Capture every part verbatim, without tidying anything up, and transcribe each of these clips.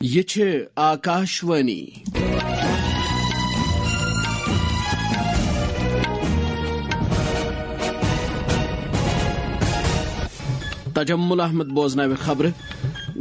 یہِ چھِ آکاشوانی۔ تجمل احمد بوزناوِ خبرٕ۔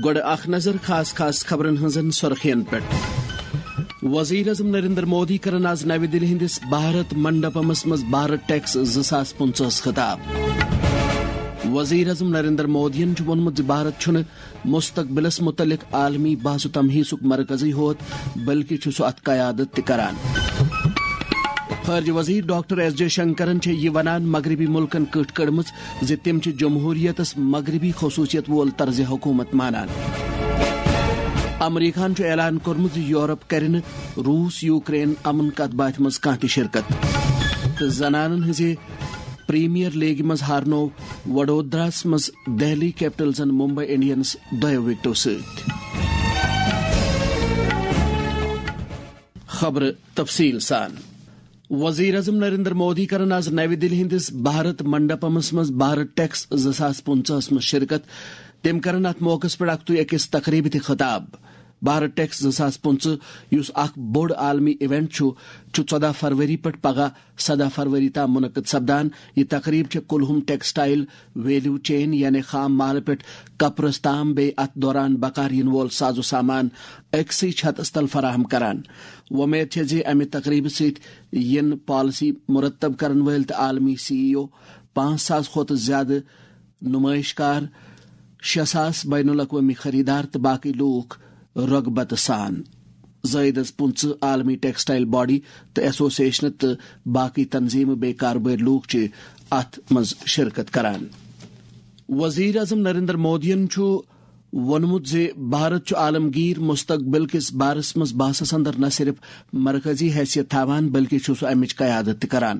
گۄڈٕ اکھ نظر خاص خاص خبرن ہٕنٛزن سُرخین پٮ۪ٹھ۔ وزیر اعظم نریندر مودی کرن آز نَوِ دِلہِ ہٕنٛدِس بھارت منڈپمس منٛز بھارت ٹیکس زٕ ساس پٕنٛژٕہس خطاب۔ وزیر اعظم نریندر مودیَن چھُ ووٚنمُت زِ بھارت چھُنہٕ مستقبلس متعلق عالمی بحث و تمہیسُک مرکزٕے ہوت، بلکہِ چھُ سُہ اتھ قیادت تہِ کران۔ خارجہ وزیر ڈاکٹر ایس جے شنکرن چھےٚ یہِ ونان مغربی ملکن کٔٹھ کٔڑمٕژ زِ تِم چھِ جمہوریتس مغربی خصوصیت وول طرز حکومت مانان۔ امریکہن چھُ اعلان کوٚرمُت زِ یورپ کرِ نہٕ روس یوکرین امن کتھ باتھِ منٛز کانٛہہ تہِ شرکت۔ تہٕ زنانن ہٕنٛزِ پریمیئر لیگہِ منٛز ہارنوو وڈودراہس منٛز دہلی کیپٹلزن ممبئی انڈینز دۄیو وکٹو سۭتۍ۔ خبرٕ تفصیل سان۔ وزیر اعظم نریندر مودی کرن آز نَوِ دِلہِ ہٕنٛدِس بھارت منڈپمس منٛز بھارت ٹیکس زٕ ساس پٕنٛژٕہس منٛز شرکت۔ تِم کرن اتھ موقعس پٮ۪ٹھ اکھ تُے أکِس تقریبہِ تہِ خطاب۔ بھارت ٹیکس زٕ ساس پٕنٛژٕہ، یُس اکھ بوٚڑ عالمی ایونٹ چھُ، چھُ ژۄدہ فروری پٮ۪ٹھ پگاہ سدہ فروری تام منعقد سپدان۔ یہِ تقریب چھےٚ کُلہُم ٹیکسٹائل ویلیو چین، یعنی خام مالہٕ پٮ۪ٹھ کپرس تام، بیٚیہِ اتھ دوران بکار یِنہٕ وول ساز و سامان أکسٕے چھتس تل فراہم کران۔ وۄمید چھےٚ زِ امہِ تقریبہٕ سۭتۍ یِن پالیسی مرتب کرن وٲلۍ تہٕ عالمی سی ای او، پانٛژھ ساس کھۄتہٕ زیادٕ نمائش کار، شےٚ ساس بین الاقوامی خریدار تہٕ باقی لوٗکھ رغبت سان۔ زٲیدس پٕنٛژٕہ عالمی ٹیکسٹائل باڈی تہٕ ایسوسیشنہٕ تہٕ باقی تنظیمہٕ بیٚیہِ کاربٲرۍ لوٗکھ چھِ اتھ منٛز شرکت کران۔ وزیر اعظم نریندر مودیَن چھُ ووٚنمُت زِ بھارت چھُ عالمگیر مستقبل کِس بارس منٛز بحثس اندر نہ صرف مرکزی حیثیت تھاوان، بلکہِ چھُ سُہ امِچ قیادت تہِ کران۔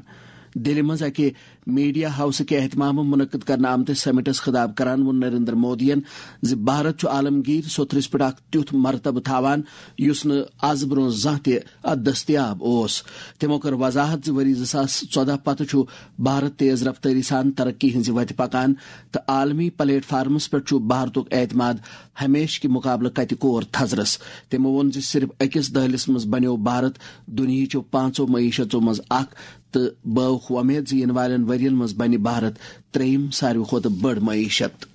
دِلہِ منٛز اکہِ میڈیا ہاؤسہٕ کہِ اہتمامہٕ منعقد کرنہٕ آمتِس سمٹس خطاب کران ووٚن نریندر مودیَن زِ بھارت چھُ عالمگیر سوٚتھرِس پٮ۪ٹھ اکھ تیُتھ مرتبہٕ تھاوان، یُس نہٕ از برونٛہہ زانٛہہ تہِ اتھ دٔستیاب اوس۔ تِمو کٔر وضاحت زِ ؤری زٕ ساس ژۄدہ پتہٕ چھُ بھارت تیز رفتٲری سان ترقی ہٕنٛزِ وتہِ پکان تہٕ عالمی پلیٹ فارمس پٮ۪ٹھ چھُ بھارتُک اعتماد ہمیشہٕ کہِ مقابلہٕ کتہِ کور تھزرس۔ تِمو ووٚن زِ صرف أکِس دٔہلِس منٛز بنیوو بھارت دُنیاہچو پانٛژو معیشتو منٛز اکھ تہٕ بٲوکھ وۄمید زِ یِنہٕ والٮ۪ن ؤرین منٛز بنہِ بھارت ترٛیٚیِم ساروی کھۄتہٕ بٔڑ معیشت۔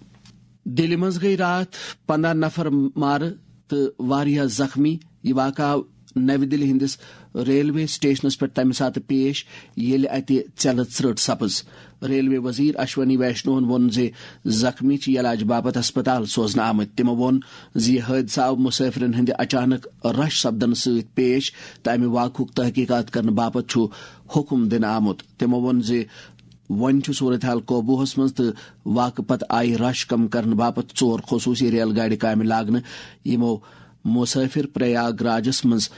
دِلہِ منٛز گٔیہِ راتھ پنٛداہ نفر مارٕ تہٕ واریاہ زخمی۔ یہِ واقعہٕ آو نَوِ دِلہِ ہٕنٛدِس ریلوے سٹیشنَس پٮ۪ٹھ تَمہِ ساتہٕ پیش، ییٚلہِ اَتہِ ژٮ۪لہٕ ژرٛٹ سپٕز۔ ریلوے وزیر اشونی ویشنوہَن ووٚن زِ زخمی چھِ علاج باپتھ ہسپتال سوزنہٕ آمٕتۍ۔ تِمَو ووٚن زِ یہِ حٲدثہٕ آو مسافرن ہٕنٛدِ اچانک رش سپدنہٕ سۭتۍ پیش تہٕ اَمہِ واقعُک تحقیقات کرنہٕ باپتھ چھُ حکم دِنہٕ آمُت۔ تِمَو ووٚن زِ وۄنۍ چھُ صورتحال قوبوٗہَس منٛز تہٕ واقعہٕ پتہٕ آیہِ رش کم کرنہٕ باپتھ ژور خصوٗصی ریل گاڑِ کامہِ لاگنہٕ، یِمو مسافر پریاگ راجَس منٛز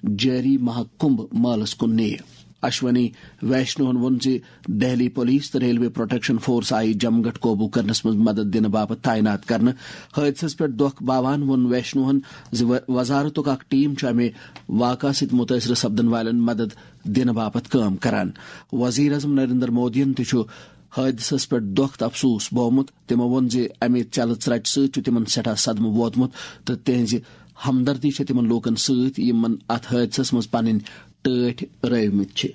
جٲری مہا کمبھ مٲلَس کُن نِیہِ۔ اشونی ویشنوہَن ووٚن زِ دہلی پولیس تہٕ ریلوے پروٹیکشن فورس آیہِ جمگٹھ قوبوٗ کرنَس منٛز مدد دِنہٕ باپتھ تعینات کرنہٕ۔ حٲدثَس پٮ۪ٹھ دۄکھ باوان ووٚن ویشنوہَن زِ و-، وزارتُک اکھ ٹیم چھُ اَمہِ واقعہٕ سۭتۍ مُتٲثرٕ سپدن والٮ۪ن مدد دِنہٕ باپتھ کٲم کران۔ وزیر اعظم نریندر مودیَن تہِ چھُ حٲدثَس پٮ۪ٹھ دۄکھ تہٕ افسوس بوومُت۔ تِمَو ووٚن زِ اَمہِ ژٮ۪لہٕ ژرٛٹہِ سۭتۍ چھُ تِمَن سٮ۪ٹھاہ صدمہٕ ووتمُت تہٕ تِہنٛزِ ہمدردی چھےٚ تِمَن لوٗکَن سۭتۍ، یِمَن اَتھ حٲدثَس منٛز پنٕنۍ ٹٲٹھۍ رٲومٕتۍ چھِ۔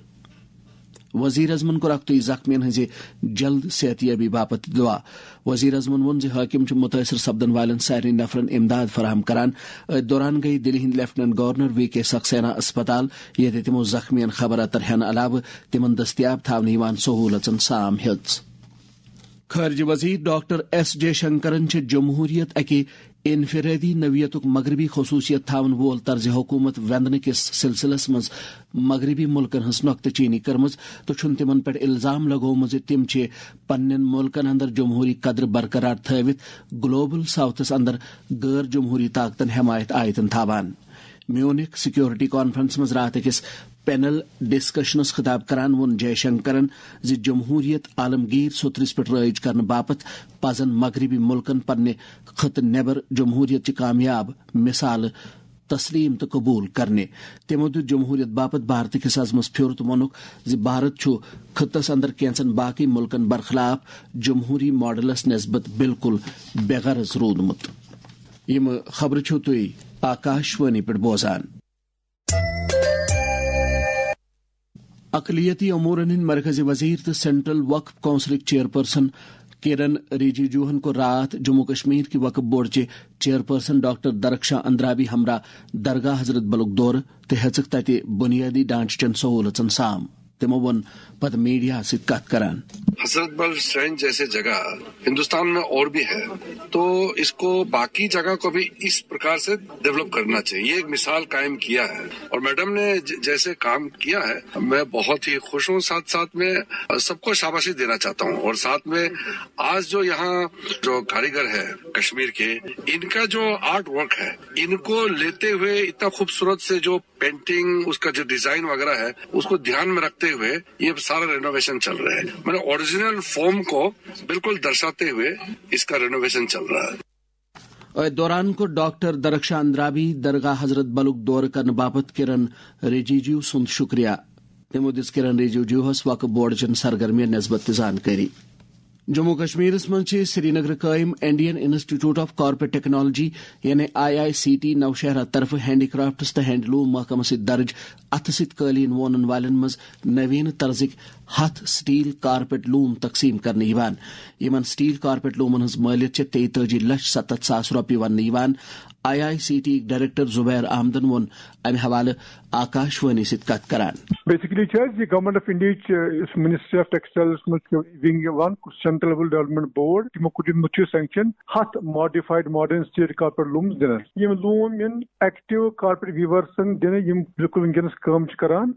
وزیر اعظمَن کوٚر اکھتُے زخمیَن ہٕنٛزِ جلد صحت یابی باپتھ دعا۔ وزیر اعظمَن ووٚن زِ حٲکِم چھِ مُتٲثر سپدن والٮ۪ن سارنٕے نفرَن امداد فراہم کران۔ أتھۍ دوران گٔیہِ دِلہِ ہٕنٛدۍ لیفٹیننٹ گورنر وی کے سکسینا اسپتال، ییٚتہِ تِمَو زخمیَن خبر اتر ہٮ۪نہٕ علاوٕ تِمَن دٔستیاب تھاونہٕ یِوان سہوٗلژن سام ہیٚژ۔ خارجہ وزیر ڈاکٹر ایس جے شنکرن چھِ جمہوریت اکہِ انفرادی نوعیتُک مغربی خصوصیت تھاون وول طرز حکومت وندنہٕ کِس سلسلس منٛز مغربی ملکن ہٕنٛز نۄکتہٕ چینی کٔرمٕژ تہٕ چھُن تِمن پٮ۪ٹھ الزام لگوومُت زِ تِم چھِ پننٮ۪ن ملکن اندر جمہوری قدر برقرار تھٲوِتھ گلوبل ساؤتھس اندر غٲر جمہوری طاقتن حمایت آیتن تھاوان۔ میونک سیکورٹی کانفرنس منٛز راتھ أکِس پینل ڈسکشنس خطاب کران ووٚن جے شنکرن زِ جمہوریت عالمگیر سوٚترِس پٮ۪ٹھ رٲیِج کرنہٕ باپتھ پزن مغربی ملکن پننہِ خطہٕ نٮ۪بر جمہوریت چہِ کامیاب مثالہٕ تسلیم تہٕ قبول کرنہِ۔ تِمو دیُت جمہوریت باپتھ بھارتہٕ کِس عزمس پھیُر تہٕ ووٚنُکھ زِ بھارت چھُ خطس اندر کینژن باقی ملکن برخلاف جمہوری ماڈلس نسبت بالکل بے غرض روٗدمُت۔ یِم خبرٕ چھِو تُہۍ آکاشوانی پٮ۪ٹھ بوزان۔ اقلیتی امورن ہٕنٛدۍ مرکزی وزیر تہٕ سینٹرل وقف کونسلٕکۍ چیئرپرسن کِرن رِجیجوہن کوٚر راتھ جموں کشمیر کہِ وقف بورڈ چہِ چیئرپرسن ڈاکٹر درخشاں اندرابی ہمراہ درگاہ حضرت بلُک دورٕ تہٕ ہیٚژٕکھ تتہِ بُنیٲدی ڈھانچہٕ چٮ۪ن سہوٗلژن سام۔ تِمو ووٚن پتہٕ میڈیاہس سۭتۍ کتھ کران۔ حضرت بل شرائن جیسے جگہ ہندوستان میں اور بھی ہے، تو اس کو باقی جگہ کو بھی اس پرکار سے ڈیولپ کرنا چاہیے۔ یہ ایک مثال قائم کیا ہے اور میڈم نے ج-، جیسے کام کیا ہے، میں بہت ہی خوش ہوں۔ ساتھ ساتھ میں سب کو شاباشی دینا چاہتا ہوں اور ساتھ میں آج جو یہاں جو کاریگر ہے کشمیر کے، ان کا جو آرٹ ورک ہے، ان کو لیتے ہوئے اتنا خوبصورت سے جو پینٹنگ، اس کا جو ڈیزائن وغیرہ ہے، اس کو دھیان میں رکھتے ہوئے یہ سارا رینوویشن چل رہا ہے۔ میں نے اوریجنل فارم کو بالکل درشاتے ہوئے اس کا رینوویشن چل رہا ہے۔ أتھۍ دوران کوٚر ڈاکٹر درخشاں اندرابی درگاہ حضرت بلُک دورٕ کرنہٕ باپتھ کِرن رِجیجو سُنٛد شُکریہ۔ تِمو دِژ کِرن رِجیجوہس وقف بورڈ چٮ۪ن سرگرمین نسبت تہِ زانکٲری۔ جموں کشمیرس منٛز چھِ سرینگرٕ قٲیِم Indian institute of corporate technology, یعنی I I C T, Nowshera طرفہٕ ہینڈی کرافٹس تہٕ ہینڈلوم محکمس سۭتۍ درج اتھٕ سۭتۍ قٲلیٖن وونن والٮ۪ن منٛز نوین طرزٕکۍ ہتھ سٹیل کارپیٹ لوم تقسیٖم کرنہٕ یِوان۔ یِمن سٹیل کارپیٹ لومن ہٕنٛز مٲلیت چھےٚ تیتٲجی لچھ ستتھ ساس رۄپیہِ وننہٕ یِوان۔ I I C T director Zubair احمدن ووٚن امہِ حوالہٕ آکاشوانی سۭتۍ کتھ کران۔ بیسکلی چھِ اَسہِ یہِ گورنمنٹ آف انڈیاہٕچ، یُس منسٹری آف ٹیکسٹائلس منٛز چھِ ونگ یِوان، سینٹرل لیول ڈیولپمنٹ بورڈ، تِمو کوٚر دیُتمُت چھُ سینکشن ہتھ ماڈیفایڈ ماڈرن سٹیل کارپیٹ لومز دِنس۔ یِم لوم یِن ایکٹیو کارپوریٹ ویورسن دِنہٕ، یِم بالکل وٕنکیٚنس کٲم چھِ کران۔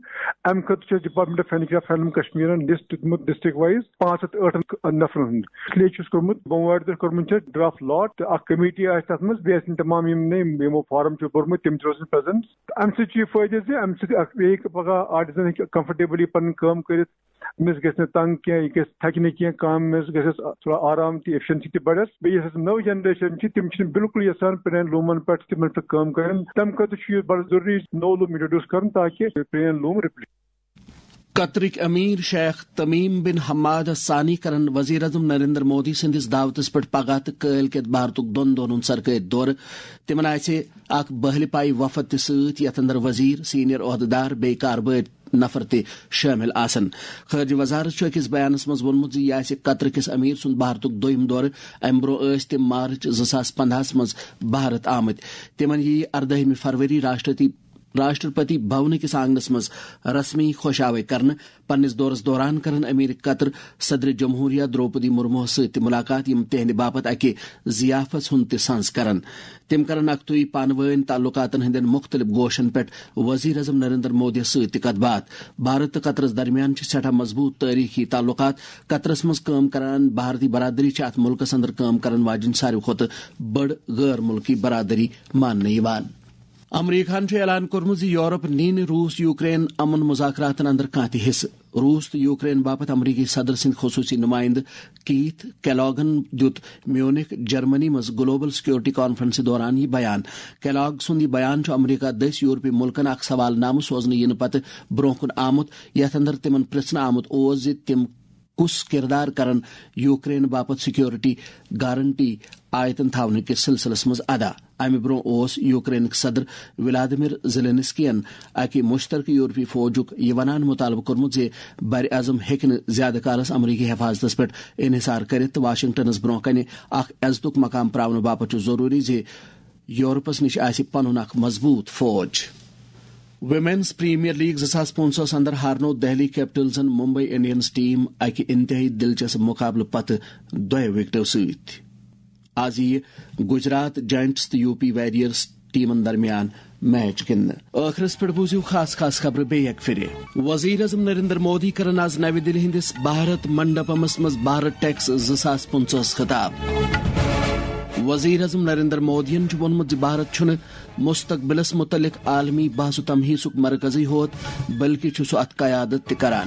امہِ خٲطرٕ چھُ department of handicraft handloom کشمیرن لسٹ دیُتمُت ڈسٹرکٹ وایز پانٛژھ ہتھ ٲٹھن نفرن ہُنٛد۔ اس لیے چھُ اَسہِ کوٚرمُت، بوموارِ دۄہ کوٚرمُت چھُ ڈرافٹ لاٹ، تہٕ اکھ کمیٹی آسہِ تتھ منٛز، بیٚیہِ آسن تمام یِم نے یِمو فارم چھُ بوٚرمُت، تِم تہِ روزن پریزنٹ۔ تہٕ امہِ سۭتۍ چھُ یہِ فٲیدٕ زِ امہِ سۭتۍ اکھ بیٚیہِ ہیٚکہِ پگاہ آرٹیزن ہیٚکہِ کمفرٹیبلی پنٕنۍ کٲم کٔرِتھ، أمِس گژھِ نہٕ تنگ کینٛہہ، یہِ گژھِ تھکہِ نہٕ کینٛہہ، کامہِ منٛز گژھٮ۪س تھوڑا آرام تہِ، ایفیشنسی تہِ بڑٮ۪س۔ بیٚیہِ یۄس اَسہِ نٔو جنریشن چھِ، تِم چھِنہٕ بالکُلٕے یژھان پرٛانٮ۪ن لوٗمن پٮ۪ٹھ تِمن پٮ۪ٹھ کٲم کرٕنۍ۔ تَمہِ خٲطرٕ چھُ یہِ بڑٕ ضروٗری نوٚو لوٗم انٹروڈیوس کرُن، تاکہِ پرٛٲنۍ لوٗم رِپلیس۔ قطرٕکۍ امیر شیخ تمیم بن حماد الثانی کرن وزیر اعظم نریندر مودی سٕنٛدِس دعوتس پٮ۪ٹھ پگاہ تہٕ کٲلۍ کٮ۪تھ بھارتُک دۄن دۄہن ہُنٛد سرکٲرۍ دورٕ۔ تِمن آسہِ اکھ بہلہِ پایہِ وفد تہِ سۭتۍ، یتھ اندر وزیر، سینئر عہدٕدار، بیٚیہِ کاربٲرۍ نفر تہِ شٲمِل آسن۔ خارجہ وزارت چھُ أکِس بیانس منٛز ووٚنمُت زِ یہِ آسہِ قطر کِس امیر سُنٛد بھارتُک دوٚیِم دورٕ۔ امہِ برٛونٛہہ ٲسۍ تِم مارچ زٕ ساس پندہَس منٛز بھارت آمٕتۍ۔ تِمن یِیہِ اردٲہمہِ فروری راشٹرپتی، راشٹرپتی بھونہٕ کِس آنگنس منٛز رسمی خۄش آوے کرنہٕ۔ پننِس دورس دوران کرن امیر قطر صدر جمہوریہ درٛوپدی مرموہس سۭتۍ تہِ مُلاقات، یِم تِہنٛدِ باپتھ اکہِ ضیافژ ہُنٛد تہِ سنز کرن۔ تِم کرن اکھتُے پانہٕ وٲنۍ تعلقاتن ہٕنٛدٮ۪ن مُختٔلِف گوشن پٮ۪ٹھ وزیر اعظم نریندر مودیَس سۭتۍ تہِ کتھ باتھ۔ بھارت تہٕ قطرس درمیان چھِ سٮ۪ٹھاہ مضبوٗط تٲریٖخی تعلقات۔ قطرس منٛز کٲم کران بھارتی برادری چھِ اتھ مُلکس اندر کٲم کرن واجٮ۪ن ساروی کھۄتہٕ بٔڑ غٲر مُلکی برادری ماننہٕ یِوان۔ امریکہَن چھُ اعلان کوٚرمُت زِ یورپ نِیہِ نہٕ روٗس یوکرین امن مذاکراتن اندر کانٛہہ تہِ حصہٕ۔ روٗس تہٕ یوکرین باپتھ امریکی صدر سٕنٛدۍ خصوٗصی نُمٲیندٕ کیتھ کیلاگن دیُت میونک، جرمنی منٛز گلوبل سیکورٹی کانفرنسہِ دوران یہِ بیان۔ کیلاگ سُنٛد یہِ بیان چھُ امریکہ دٔسۍ یورپی مُلکن اکھ سوال نامہٕ سوزنہٕ یِنہٕ پتہٕ برٛونٛہہ کُن آمُت، یتھ اندر تِمن پرژھنہٕ آمُت اوس زِ تِم کُس کردار کرن یوکرین باپتھ سیکورٹی گارنٹی آیتن تھاونہٕ کِس سلسلس منٛز ادا۔ امہِ برٛونٛہہ اوس یوکرینٕکۍ صدر ولادیمیر زیلینسکین اکہِ مشترکہٕ یورپی فوجُک یہِ ونان مطالبہٕ کوٚرمُت زِ بر اعظم ہیٚکہِ نہٕ زیادٕ کالس امریکی حفاظتس پٮ۪ٹھ انحصار کٔرِتھ تہٕ واشنگٹنس برٛونٛہہ کنہِ اکھ عزتُک مقام پراونہٕ باپتھ چھُ ضروٗری زِ یورپس نِش آسہِ پنُن اکھ مضبوٗط فوج۔ ویمنز پریمیئر لیگ زٕ ساس پٕنٛژٕہَس اندر ہارنوو دہلی کیپٹلزن ممبئی انڈینز ٹیم اکہِ انتہٲئی دلچسپ مقابلہٕ پتہٕ دۄیو وکٹو سۭتۍ۔ آز یِیہِ گجرات جائنٹس تہٕ یو پی ویریئرز ٹیمن درمیان میچ گِنٛدنہٕ۔ ٲخرس پٮ۪ٹھ بوٗزِو خاص خاص خبرٕ بیٚیہِ اکہِ پھِرِ۔ وزیر اعظم نریندر مودی کرن آز نَوِ دِلہِ ہٕنٛدِس بھارت منڈپمس منٛز بھارت ٹیکس زٕ ساس پٕنٛژٕہَس خطاب۔ وزیر اعظم نریندر مودیَن چھُ ووٚنمُت زِ بھارت چھُنہٕ مستقبلس متعلق عالمی بحث و تمہیسُک مرکزٕے ہوت، بلکہِ چھُ سُہ اتھ قیادت تہِ کران۔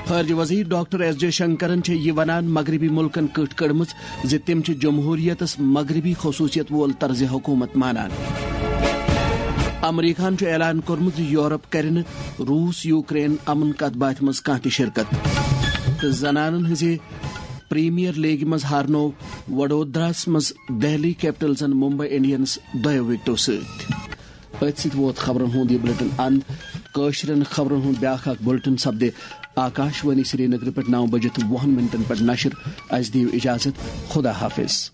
خارجہ وزیر ڈاکٹر ایس جے شنکرن چھےٚ یہِ ونان مغربی ملکن کٔٹھ کٔڑمٕژ زِ تِم چھِ جمہوریتس مغربی خصوصیت وول طرز حکومت مانان۔ امریکہن چھُ اعلان کوٚرمُت زِ یورپ کرِ نہٕ روٗس یوکرین امن کتھ باتھِ منٛز کانٛہہ تہِ شرکت۔ تہٕ زنانن ہٕنٛزِ پریمیئر لیگہِ منٛز ہارنوو وڈودراہس منٛز دہلی کیپٹلزن ممبئی انڈینز دۄیو وکٹو سۭتۍ۔ أتھۍ سۭتۍ ووت خبرن ہُنٛد یہِ بلیٹن اند۔ کٲشرٮ۪ن خبرن ہُنٛد بیاکھ اکھ بلیٹن سپدِ آکاشوانی سرینگر پٮ۪ٹھ نو بجِتھ وُہن منٹن پٮ۪ٹھ نشر۔ اسہِ دِیِو اجازت، خدا حافظ۔